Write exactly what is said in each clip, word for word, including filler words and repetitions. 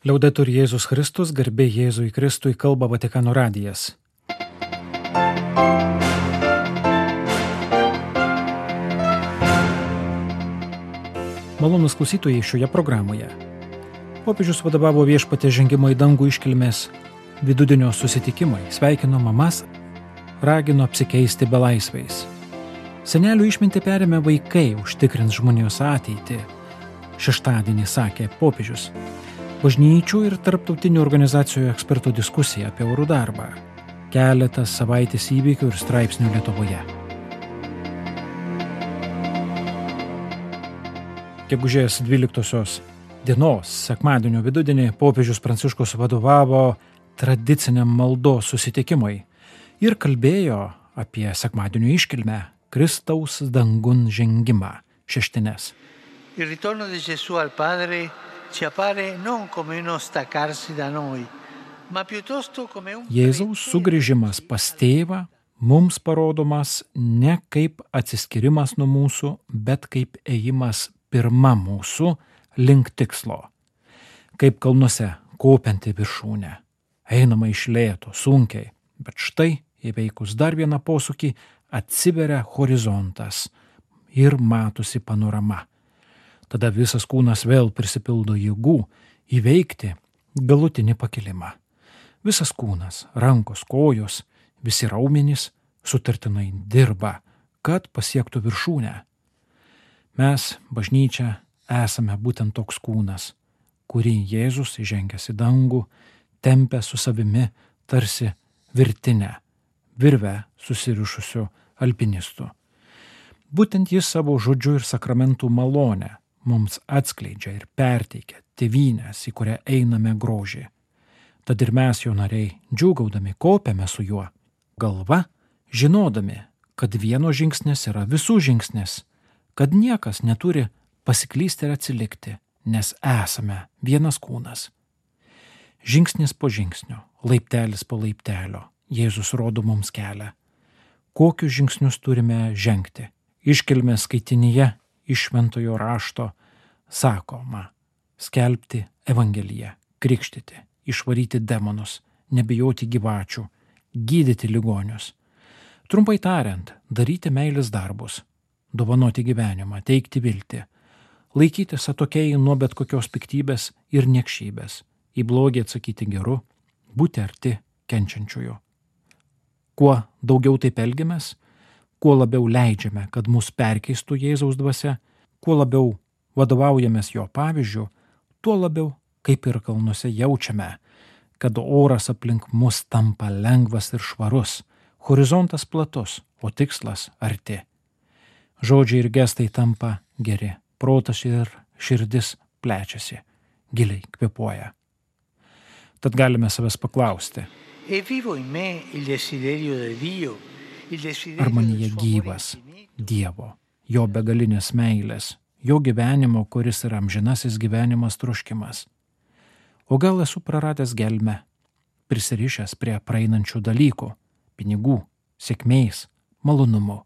Liaudetur Jėzus Kristus, garbė Jėzui Kristui, kalba Vatikano radijas. Malonūs klausytojai šioje programoje. Popiežius vadovavo Viešpaties žengimo į dangų iškilmės vidudienio susitikimai, sveikino mamas, ragino apsikeisti belaisviais. Senelių išmintį perėmė vaikai, užtikrins žmonijos ateitį. Šeštadienį sakė popiežius. Bažnyčių ir tarptautinių organizacijų ekspertų diskusija apie orų darbą. Keletas savaitės įvykių ir straipsnių Lietuvoje. Gegužės dvyliktosios dienos, sekmadienio vidudienį, popiežius Pranciškus vadovavo tradiciniam maldos susitikimui ir kalbėjo apie sekmadienio iškilmę Kristaus dangun žengimą, šeštines. Il ritorno di Gesù al Padre ci appare non come uno staccarsi da noi, ma piuttosto come un Jėzaus sugrįžimas pas tėvą mums parodomas ne kaip atsiskirimas nuo mūsų, bet kaip ėjimas pirma mūsų link tikslo. Kaip kalnuose kopianti viršūnė. Einama iš lėto, sunkiai, bet štai įveikus dar vieną posūkį atsiveria horizontas ir matosi panorama. Tada visas kūnas vėl prisipildo jėgų įveikti galutinį pakilimą. Visas kūnas, rankos, kojos, visi raumenys sutartinai dirba, kad pasiektų viršūnę. Mes, bažnyčia, esame būtent toks kūnas, kurį Jėzus įžengęs į dangų tempia su savimi tarsi virtinę, virvę susirišusiu alpinistu. Būtent jis savo žodžiu ir sakramentų malonę mums atskleidžia ir perteikia tėvynės, į kurią einame grožį. Tad ir mes, jo nariai, džiūgaudami kopiame su juo, galva, žinodami, kad vieno žingsnis yra visų žingsnis, kad niekas neturi pasiklysti ir atsilikti, nes esame vienas kūnas. Žingsnis po žingsnio, laiptelis po laiptelio, Jėzus rodo mums kelią. Kokius žingsnius turime žengti? Iškilmės skaitinyje iš šventojo rašto sakoma: skelbti evangeliją, krikštyti, išvaryti demonus, nebijoti gyvačių, gydyti ligonius. Trumpai tariant, daryti meilės darbus, dovanoti gyvenimą, teikti viltį, laikytis atokiai nuo bet kokios piktybės ir niekšybės, į blogį atsakyti geru, būti arti kenčiančiųjų. Kuo daugiau taip elgiamės, kuo labiau leidžiame, kad mus perkeistų Jėzaus dvasia, kuo labiau vadovaujamės jo pavyzdžiu, tuo labiau, kaip ir kalnuose, jaučiame, kad oras aplink mus tampa lengvas ir švarus, horizontas platus, o tikslas arti. Žodžiai ir gestai tampa geri, protas ir širdis plečiasi, giliai kvėpuoja. Tad galime savęs paklausti, ar manyje gyvas Dievo, jo begalinės meilės, jo gyvenimo, kuris yra amžinasis gyvenimas troškimas. O gal esu praradęs gelmę, prisirišęs prie praeinančių dalykų, pinigų, sėkmės, malonumų.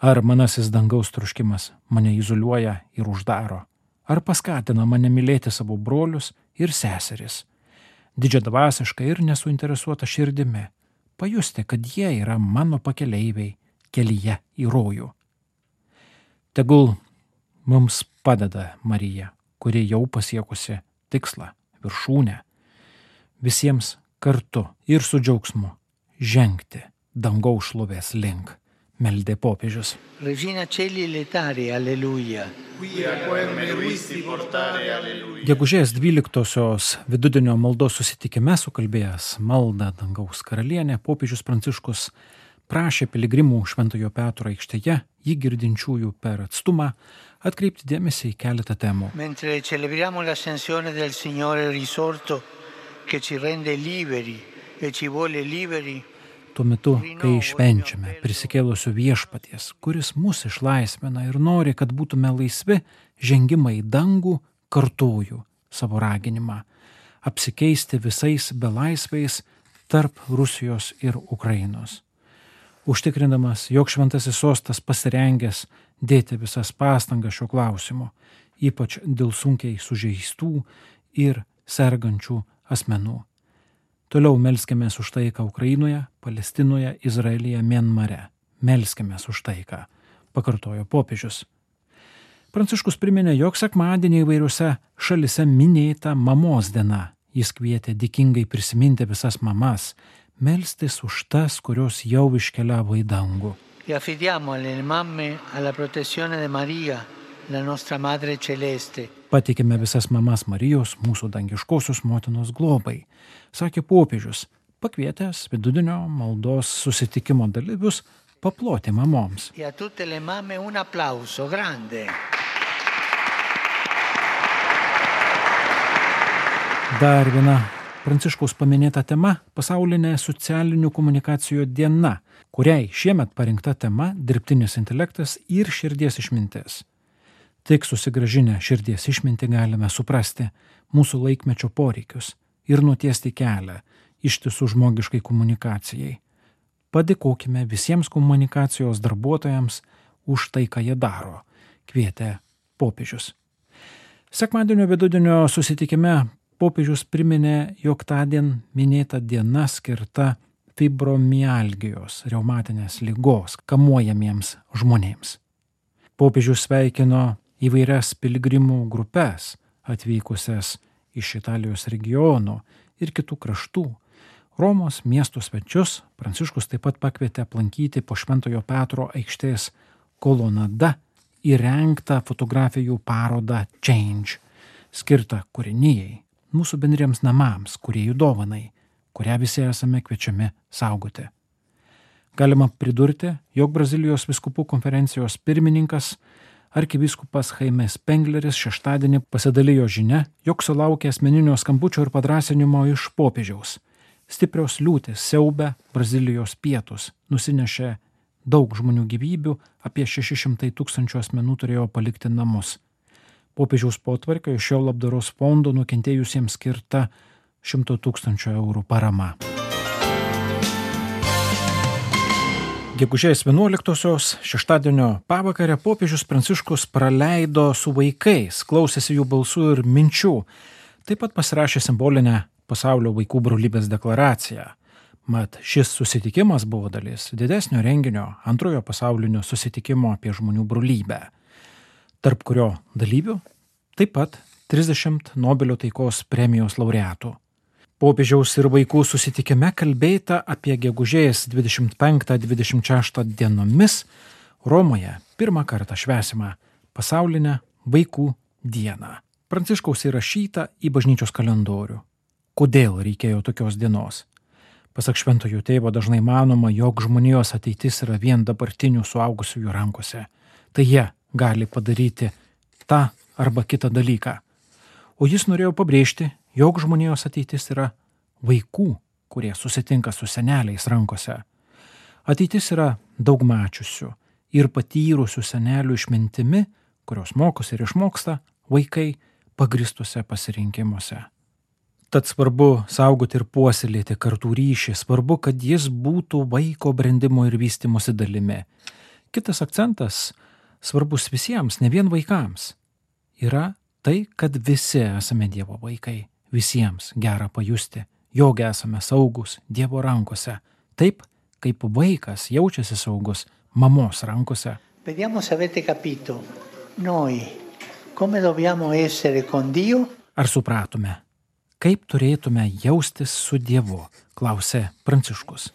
Ar manasis dangaus troškimas mane izoliuoja ir uždaro, ar paskatina mane mylėti savo brolius ir seseris, didžiadvasiškai ir nesuinteresuota širdimi, pajusti, kad jie yra mano pakeleiviai kelyje į rojų. Tegul mums padeda Marija, kuri jau pasiekusi tikslą, viršūnę, visiems kartu ir su džiaugsmu žengti dangaus šlovės link. Meldė popiežius. Regina Celi letare, alleluja. Gegužės dvyliktosios vidudienio maldos susitikime sukalbėjęs maldą dangaus karalienė, popiežius Pranciškus prašė piligrimų Šventojo Petro aikštėje, jį girdinčiųjų per atstumą, atkreipti dėmesį į keletą temų. Mentre celebriamo l'ascensione del Signore risorto che ci rende liberi e ci vuole liberi. Tuo metu, kai švenčiame prisikėlusio viešpaties, kuris mus išlaisvina ir nori, kad būtume laisvi, žengimą į dangų, kartoju savo raginimą apsikeisti visais belaisviais tarp Rusijos ir Ukrainos. Užtikrindamas, jog šventasis sostas pasirengęs dėti visas pastangas šio klausimu, ypač dėl sunkiai sužeistų ir sergančių asmenų. Toliau melskimės už taiką Ukrainoje, Palestinoje, Izraelyje, Mianmare. Melskimės už taiką, pakartojo popiežius. Pranciškus priminė, jog sekmadienį įvairiose šalise minėta mamos diena. Jis kvietė dėkingai prisiminti visas mamas, melstis už tas, kurios jau iškeliavo į dangų. E affidiamo alle mamme alla protezione di Maria, la nostra Madre Celeste. Patikime visas mamas Marijos, mūsų dangiškosios motinos globai, sakė popiežius, pakvietęs vidudienio maldos susitikimo dalyvius paploti mamoms. E a tutte le mamme un applauso grande. Dar viena Pranciškaus paminėta tema – pasaulinė socialinių komunikacijų diena, kuriai šiemet parinkta tema – dirbtinis intelektas ir širdies išmintis. Tik susigrąžinę širdies išmintį galime suprasti mūsų laikmečio poreikius ir nutiesti kelią ištisų žmogiškai komunikacijai. Padėkokime visiems komunikacijos darbuotojams už tai, ką jie daro, kvietė popiežius. Sekmadienio vidudienio susitikime popiežius priminė, jog tądien minėta diena skirta fibromialgijos, reumatinės ligos, kamuojamiems žmonėms. Popiežius sveikino įvairias piligrimų grupes, atvykusias iš Italijos regionų ir kitų kraštų. Romos miesto svečius Pranciškus taip pat pakvietė aplankyti po Šventojo Petro aikštės kolonada įrengtą fotografijų parodą Change, skirtą kūrinijai, mūsų bendriems namams, kūrėjų dovanai, kurią visi esame kviečiami saugoti. Galima pridurti, jog Brazilijos vyskupų konferencijos pirmininkas arkivyskupas Jaime Spengleris šeštadienį pasidalijo žinia, jog sulaukė asmeninio skambučio ir padrąsinimo iš popiežiaus. Stiprios liūtys siaubia Brazilijos pietus, nusinešė daug žmonių gyvybių, apie šeši šimtai tūkstančių asmenų turėjo palikti namus. Popiežiaus potvarkio iš šio labdaros fondo nukentėjusiems skirta šimto tūkstančių eurų parama. Gegužės vienuoliktosios šeštadienio pavakarę popiežius Pranciškus praleido su vaikais, klausėsi jų balsų ir minčių. Taip pat pasirašė simbolinę pasaulio vaikų brolybės deklaraciją. Mat šis susitikimas buvo dalis didesnio renginio antrojo pasaulinio susitikimo apie žmonių brolybę, tarp kurio dalyvių taip pat trisdešimt Nobelio taikos premijos laureatų. Popiežiaus ir vaikų susitikime kalbėta apie gegužės dvidešimt penktą dvidešimt šeštą dienomis Romoje pirmą kartą švęsimą pasaulinę vaikų dieną. Pranciškaus įrašyta į bažnyčios kalendorių. Kodėl reikėjo tokios dienos? Pasak šventojo tėvo dažnai manoma, jog žmonijos ateitis yra vien dabartinių suaugusiųjų rankose. Tai jie gali padaryti tą arba kitą dalyką. O jis norėjo pabrėžti, jog žmonijos ateitis yra vaikų, kurie susitinka su seneliais rankose. Ateitis yra daug mačiusių ir patyrusių senelių išmintimi, kurios mokosi ir išmoksta vaikai pagristuose pasirinkimuose. Tad svarbu saugoti ir puoselėti kartų ryšį, svarbu, kad jis būtų vaiko brendimo ir vystymosi dalimi. Kitas akcentas, svarbus visiems, ne vien vaikams, yra tai, kad visi esame Dievo vaikai, visiems gera pajusti, jog esame saugus Dievo rankose, taip kaip vaikas jaučiasi saugus mamos rankose. Vediamo se avete capito, noi come dobbiamo essere con Dio? Ar supratome, kaip turėtume jaustis su Dievu, klausė Pranciškus.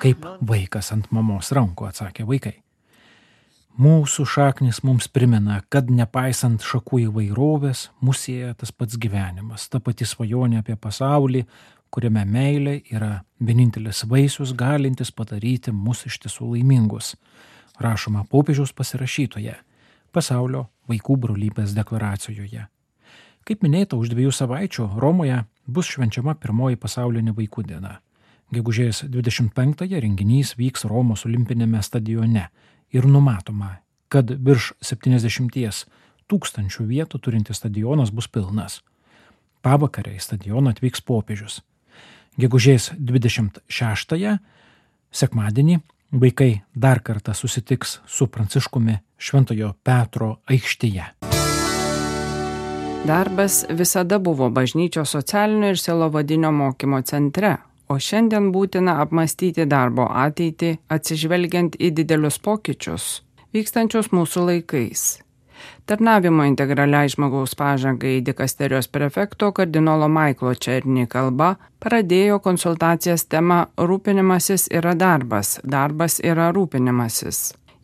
Kaip vaikas ant mamos rankų, atsakė vaikai. Mūsų šaknis mums primena, kad nepaisant šakų įvairovės, mus sieja tas pats gyvenimas, ta pati svajonė apie pasaulį, kuriame meilė yra vienintelis vaisius, galintis padaryti mus iš tiesų laimingus, rašoma popiežiaus pasirašytoje pasaulio vaikų brolybės deklaracijoje. Kaip minėta, už dviejų savaičių Romoje bus švenčiama pirmoji pasaulinė vaikų diena. Gegužės dvidešimt penktąją renginys vyks Romos olimpinėme stadione ir numatoma, kad virš septyniasdešimties tūkstančių vietų turintis stadionas bus pilnas. Pavakarę į stadioną atvyks popiežius. Gegužės dvidešimt šeštąją, sekmadienį, vaikai dar kartą susitiks su Pranciškumi Šventojo Petro aikštėje. Darbas visada buvo bažnyčios socialinio ir sielovadinio mokymo centre, o šiandien būtina apmąstyti darbo ateitį, atsižvelgiant į didelius pokyčius, vykstančius mūsų laikais. Tarnavimo integraliai žmogaus pažangai dikasterijos prefekto kardinolo Maiklo Černi kalba pradėjo konsultacijas tema Rūpinimasis yra darbas, darbas yra rūpinimasis,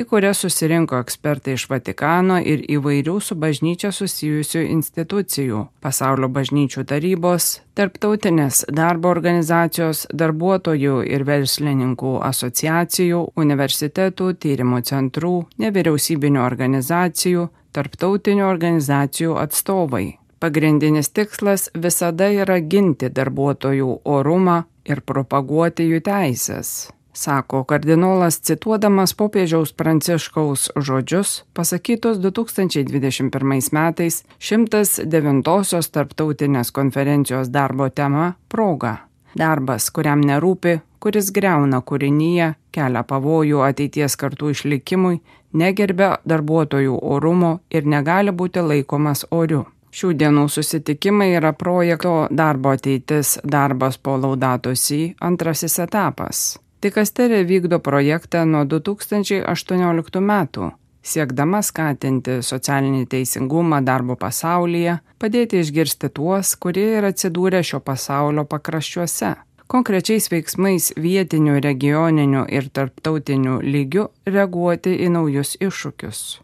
į kurią susirinko ekspertai iš Vatikano ir įvairių su bažnyčia susijusių institucijų, pasaulio bažnyčių tarybos, tarptautinės darbo organizacijos, darbuotojų ir verslininkų asociacijų, universitetų, tyrimų centrų, nevyriausybinių organizacijų, tarptautinių organizacijų atstovai. Pagrindinis tikslas visada yra ginti darbuotojų orumą ir propaguoti jų teisės, sako kardinolas, cituodamas popiežiaus Pranciškaus žodžius, pasakytus du tūkstančiai dvidešimt pirmais metais šimtas devintosios tarptautinės konferencijos darbo tema proga. Darbas, kuriam nerūpi, kuris griauna kūrinyje, kelia pavojų ateities kartų išlikimui, negerbia darbuotojų orumo ir negali būti laikomas oriu. Šių dienų susitikimai yra projekto Darbo ateitis darbas po Laudato Si antrasis etapas. Dikasterija vykdo projektą nuo du tūkstančiai aštuonioliktų metų, siekdama skatinti socialinį teisingumą darbo pasaulyje, padėti išgirsti tuos, kurie yra atsidūrę šio pasaulio pakraščiuose, konkrečiais veiksmais vietinių, regioninių ir tarptautinių lygių reaguoti į naujus iššūkius.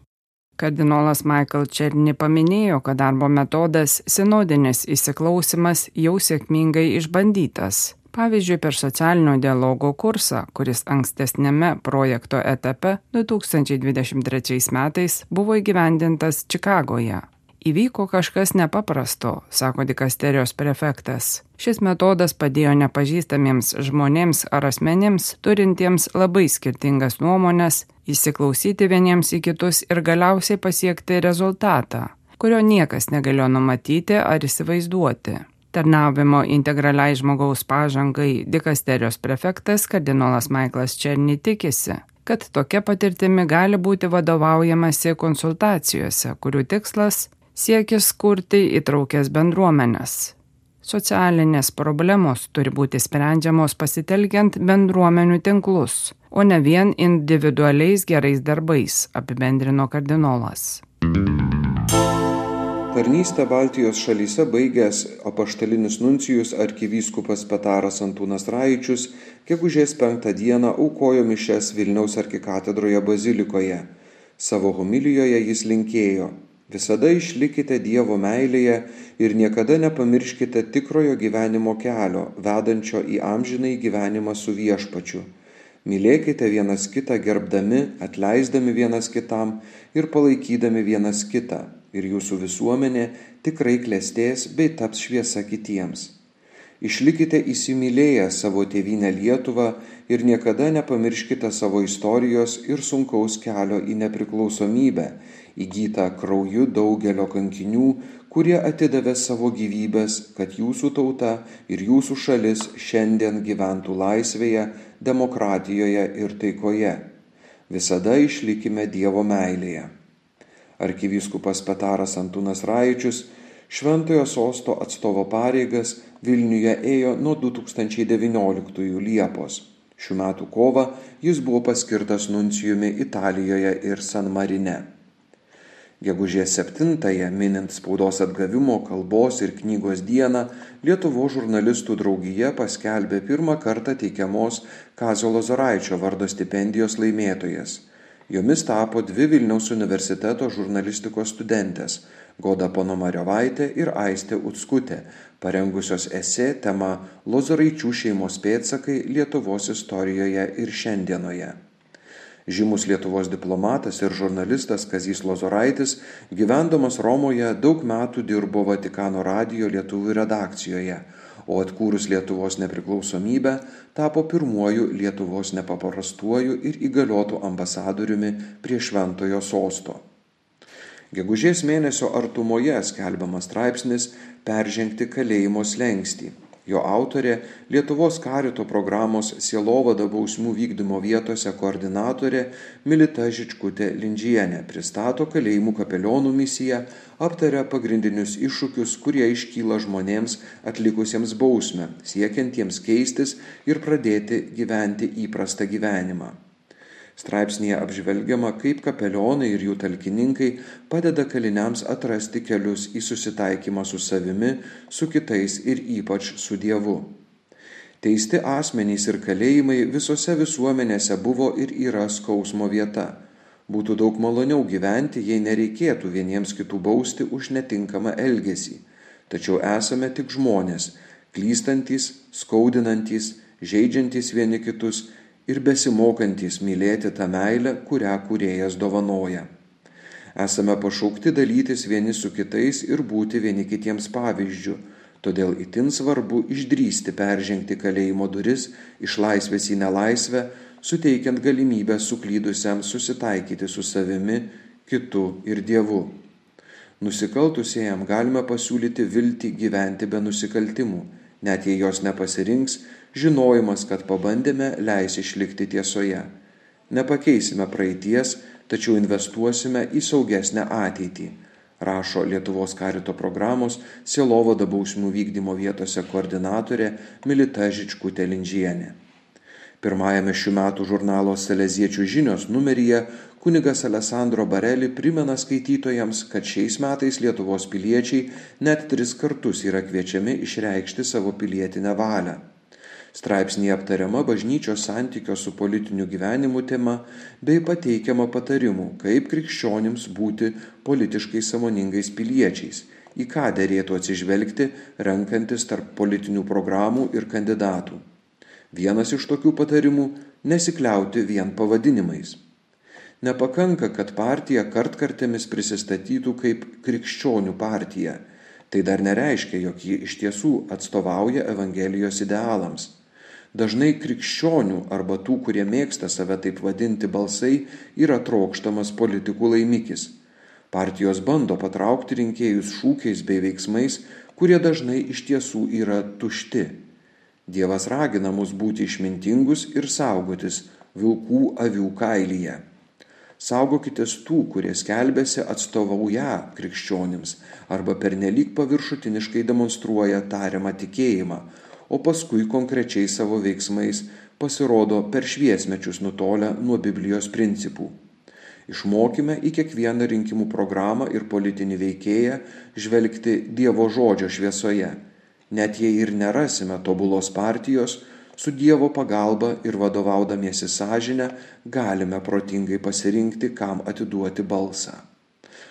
Kardinolas Michael Černi paminėjo, kad darbo metodas sinodinis įsiklausimas jau sėkmingai išbandytas. Pavyzdžiui, per socialinio dialogo kursą, kuris ankstesnėme projekto etape du tūkstančiai dvidešimt trečiais metais buvo įgyvendintas Čikagoje. Įvyko kažkas nepaprasto, sako dikasterijos prefektas. Šis metodas padėjo nepažįstamiems žmonėms ar asmenims, turintiems labai skirtingas nuomones, įsiklausyti vieniems į kitus ir galiausiai pasiekti rezultatą, kurio niekas negalėjo numatyti ar įsivaizduoti. Tarnavimo integraliai žmogaus pažangai dikasterijos prefektas kardinolas Maiklas Černi tikisi, kad tokia patirtimi gali būti vadovaujamasi konsultacijose, kurių tikslas siekis kurti įtraukęs bendruomenes. Socialinės problemos turi būti sprendžiamos pasitelkiant bendruomenių tinklus, o ne vien individualiais gerais darbais, apibendrino kardinolas. Tarnystę Baltijos šalyse baigęs apaštalinis nuncijus arkivyskupas Petaras Antūnas Raičius gegužės penktą dieną aukojo mišias Vilniaus arkikatedroje bazilikoje. Savo homilijoje jis linkėjo: visada išlikite Dievo meilėje ir niekada nepamirškite tikrojo gyvenimo kelio, vedančio į amžinąjį gyvenimą su Viešpačiu. Mylėkite vienas kitą gerbdami, atleisdami vienas kitam ir palaikydami vienas kitą. Ir jūsų visuomenė tikrai klestės bei taps šviesa kitiems. Išlikite įsimylėję savo tėvynę Lietuvą ir niekada nepamirškite savo istorijos ir sunkaus kelio į nepriklausomybę, įgytą krauju daugelio kankinių, kurie atidavė savo gyvybės, kad jūsų tauta ir jūsų šalis šiandien gyventų laisvėje, demokratijoje ir taikoje. Visada išlikime Dievo meilėje. Arkivyskupas Petaras Antūnas Raičius Šventojo sosto atstovo pareigas Vilniuje ėjo nuo du tūkstančiai devynioliktųjų Liepos. Šių metų kovą jis buvo paskirtas nuncijumi Italijoje ir San Marine. Gegužės septintąją, minint spaudos atgavimo, kalbos ir knygos dieną, Lietuvos žurnalistų draugija paskelbė pirmą kartą teikiamos Kazio Lozoraičio vardo stipendijos laimėtojas. Jomis tapo dvi Vilniaus universiteto žurnalistikos studentės – Goda Ponomariovaitė ir Aistė Utskutė, parengusios esė tema Lozoraičių šeimos pėdsakai Lietuvos istorijoje ir šiandienoje. Žymus Lietuvos diplomatas ir žurnalistas Kazys Lozoraitis, gyvendamas Romoje, daug metų dirbo Vatikano radijo lietuvių redakcijoje, o atkūrus Lietuvos nepriklausomybę tapo pirmuoju Lietuvos nepaprastuoju ir įgaliotu ambasadoriumi prie Šventojo sosto. Gegužės mėnesio artumoje skelbiamas straipsnis Peržengti kalėjimo slenkstį. Jo autorė, Lietuvos karito programos Sielovada bausmių vykdymo vietose koordinatorė Milita Žičkutė-Lindžienė pristato kalėjimų kapelionų misiją, aptaria pagrindinius iššūkius, kurie iškyla žmonėms atlikusiems bausmę, siekiantiems keistis ir pradėti gyventi įprastą gyvenimą. Straipsnėje apžvelgiama, kaip kapelionai ir jų talkininkai padeda kaliniams atrasti kelius į susitaikymą su savimi, su kitais ir ypač su Dievu. Teisti asmenys ir kalėjimai visose visuomenėse buvo ir yra skausmo vieta. Būtų daug maloniau gyventi, jei nereikėtų vieniems kitų bausti už netinkamą elgesį. Tačiau esame tik žmonės, klystantys, skaudinantys, žeidžiantys vieni kitus ir besimokantys mylėti tą meilę, kurią Kūrėjas dovanoja. Esame pašaukti dalytis vieni su kitais ir būti vieni kitiems pavyzdžiu, todėl itin svarbu išdrįsti peržengti kalėjimo duris iš laisvės į nelaisvę, suteikiant galimybę suklydusiam susitaikyti su savimi, kitu ir Dievu. Nusikaltusiems galime pasiūlyti viltį gyventi be nusikaltimų, net jei jos nepasirinks, žinojimas, kad pabandėme, leis išlikti tiesoje. Nepakeisime praeities, tačiau investuosime į saugesnę ateitį, rašo Lietuvos karito programos Sielovada bausmių vykdymo vietose koordinatorė Milita Žičkutė-Lindžienė. Pirmajame šių metų žurnalo Saleziečių žinios numeryje kunigas Alessandro Bareli primena skaitytojams, kad šiais metais Lietuvos piliečiai net tris kartus yra kviečiami išreikšti savo pilietinę valią. Straipsnėje aptariama bažnyčios santykio su politiniu gyvenimu tema bei pateikiama patarimų, kaip krikščionims būti politiškai sąmoningais piliečiais, į ką derėtų atsižvelgti, renkantis tarp politinių programų ir kandidatų. Vienas iš tokių patarimų – nesikliauti vien pavadinimais. Nepakanka, kad partija kartkartėmis prisistatytų kaip krikščionių partija. Tai dar nereiškia, jog ji iš tiesų atstovauja Evangelijos idealams. Dažnai krikščionių arba tų, kurie mėgsta save taip vadinti balsai, yra trokštamas politikų laimikis. Partijos bando patraukti rinkėjus šūkiais bei veiksmais, kurie dažnai iš tiesų yra tušti. Dievas ragina mus būti išmintingus ir saugotis vilkų avių kailyje. Saugokitės tų, kurie skelbiasi atstovaują krikščionims arba pernelyg paviršutiniškai demonstruoja tariamą tikėjimą, o paskui konkrečiai savo veiksmais pasirodo per šviesmečius nutolę nuo Biblijos principų. Išmokime į kiekvieną rinkimų programą ir politinį veikėją žvelgti Dievo žodžio šviesoje. Net jei ir nerasime tobulos partijos, su Dievo pagalba ir vadovaudamiesi sąžinę galime protingai pasirinkti, kam atiduoti balsą.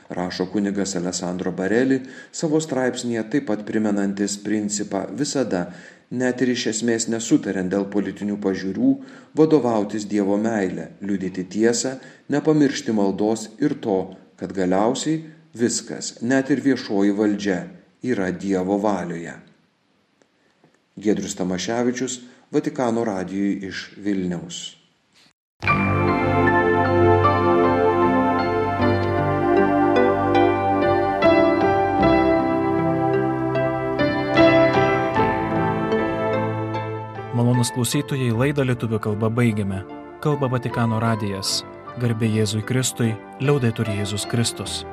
Rašo kunigas Alessandro Bareli savo straipsnėje taip pat primenantis principą visada, net ir iš esmės nesutariant dėl politinių pažiūrų, vadovautis Dievo meile, liudyti tiesą, nepamiršti maldos ir to, kad galiausiai viskas, net ir viešoji valdžia, yra Dievo valioje. Giedrius Tamaševičius, Vatikano radijui iš Vilniaus. Malonūs klausytojai, laidą lietuvių kalba baigiame. Kalba Vatikano radijas. Garbė Jėzui Kristui, liaudetur Jėzus Kristus.